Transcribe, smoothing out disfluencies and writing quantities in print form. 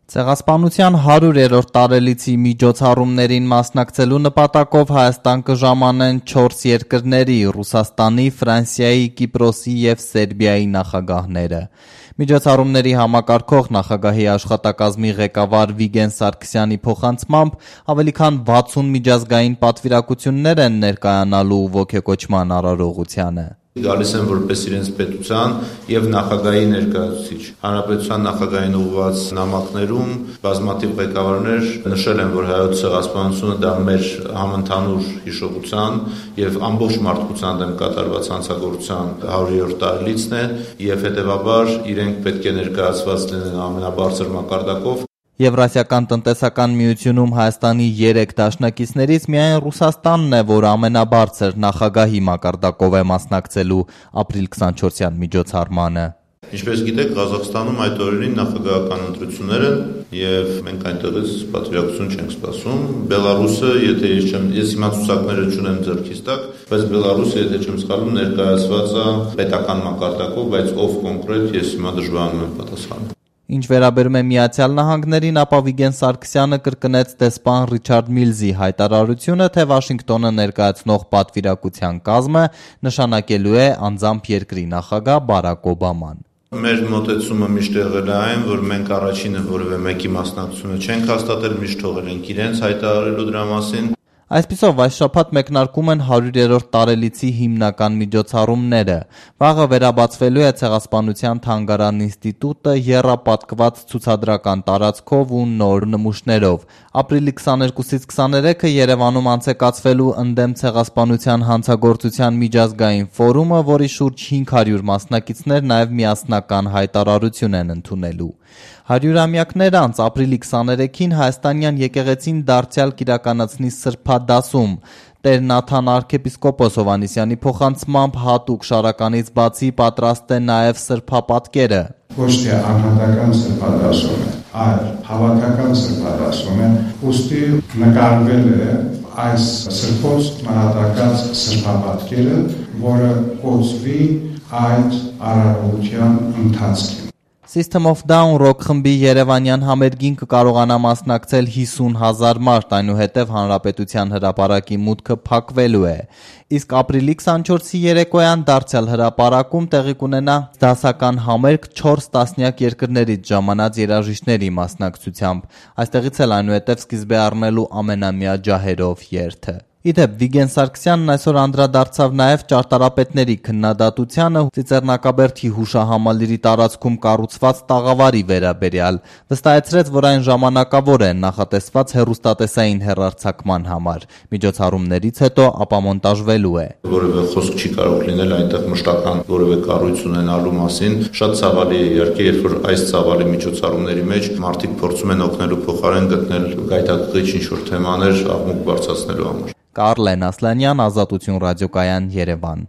Ցեղասպանության 100-րդ տարելիցի միջոցառումներին մասնակցելու նպատակով Հայաստան կժամանեն 4 երկրների՝ Ռուսաստանի, Ֆրանսիայի, Կիպրոսի և Սերբիայի նախագահները։ Միջոցառումների համակարգող նախագահի աշխատակազմի ղեկավար Վիգեն Սարգսյանի փոխանցմամբ ավելի քան 60 միջազգային պատվիրակություններ են ներկայանալու ոգեկոչման արարողությանը։ Գալիս են որպես իրենց պետության և նախագահի ներկայացուցիչ։ Հանրապետության նախագահին ուղղված նամակներում բազմաթիվ ղեկավարներ նշել են, որ հայոց ցեղասպանությունը դա մեր համընդհանուր հիշողության և ամբողջ մարդկության դեմ կատարված հանցագործության 100-րդ տարելիցն է և հետևաբար իրենք պետք է ներկայացված լինեն ամենաբարձր մակարդակով։ Եվրասիական տնտեսական միությունում Հայաստանի 3 դաշնակիցներից միայն Ռուսաստանն է, որ ամենաբարձր նախագահի մակարդակով է մասնակցելու ապրիլ 24-յան միջոցառմանը։ Ինչպես գիտեք, Ղազախստանում այդ օրերին նախագահական ընտրություններ են և մենք այնտեղից պատվիրակություն չենք սպասում։ Բելարուսը, ես հիմա ցուցակները չունեմ ձեռքիս տակ, բայց Բելարուսը, եթե չեմ սխալվում, ներկայացված է պետական մակարդակով, բայց ով կոնկրետ ես հիմա դժվարանում եմ պատասխանել։ Ինչ վերաբերում է Միացյալ Նահանգներին, ապա Վիգեն Սարգսյանը կրկնեց դեսպան Ռիչարդ Միլզի հայտարարությունը, թե Վաշինգտոնը ներկայացնող պատվիրակության կազմը նշանակելու է անձամբ երկրի նախագահ Բարակ Օբաման։ Մեր մոտեցումը միշտ եղել է այն, որ մենք առաջինը որևէ մեկի մասնակցությունը չենք հաստատել, միշտ թողել ենք իրենց հայտարարելու դրա մասին։ Այսպիսով, այս շաբաթ մեկնարկում են 100-րդ տարելիցի հիմնական միջոցառումները։ Վաղը վերաբացվելու է Ցեղասպանության թանգարան ինստիտուտը եռապատկված ցուցադրական տարածքով ու նոր նմուշներով։ Ապրիլի 22-ից 23-ը Երևանում անցեկացվելու ընդդեմ ցեղասպանության հանցագործության միջազգային ֆորումը, որի շուրջ 500 մասնակիցներ նաև միասնական հայտարարություն են ընդունելու։ 100-ամյակներ անց ապրիլի 23-ին հայաստանյան եկեղեցին դարձյալ կիրականացնի սրբադասում։ Տեր Նաթան arczepiskopos Հովհաննիսյանի փոխանցմամբ հատուկ շարականից բացի պատրաստ է նաև սրբապատկերը։ Ոչ թե անհատական սրբադասում է, այլ հավաքական սրբադասում է, ուստի նկարվել է այս սրբոց նահատակած սրբապատկերը, որը կոչվի այդ արարողության ընթացքին։ System of Down ռոք խմբի երևանյան համերգին կկարողանա մասնակցել 50,000 մարդ, այնուհետև Հանրապետության հրապարակի մուտքը փակվելու է։ Իսկ ապրիլի 24-ի երեկոյան դարձյալ հրապարակում տեղի կունենա դասական համերգ 4 տասնյակ երկրներից ժամանած երաժիշտների մասնակցությամբ։ Այստեղից էլ այնուհետև սկիզբ է առնելու ամենամյա ջահերով երթը։ Իդեպ Վիգեն Սարգսյանն այսօր անդրադարձավ նաև ճարտարապետների քննադատությանը Ծիծեռնակաբերդի հուշահամալիրի տարածքում կառուցված տաղավարի վերաբերյալ։ Վստահեցրեց, որ այն ժամանակավոր է, նախատեսված հեռուստատեսային հեռարձակման համար։ Միջոցառումներից հետո ապամոնտաժվելու է։ Որևէ խոսք չի կարող լինել այնտեղ մշտական որևէ կառույց ունենալու մասին։ Շատ ցավալի է իհարկե, երբ որ այս ցավալի միջոցառումների մեջ մարդիկ փորձում են օգնելու փոխարեն գտնել գայթակղիչ ինչ-որ թեմաներ աղմուկ բարձրացնելու համար։ Կարլեն Ասլանյան, Ազատություն ռադիոկայան, Երևան։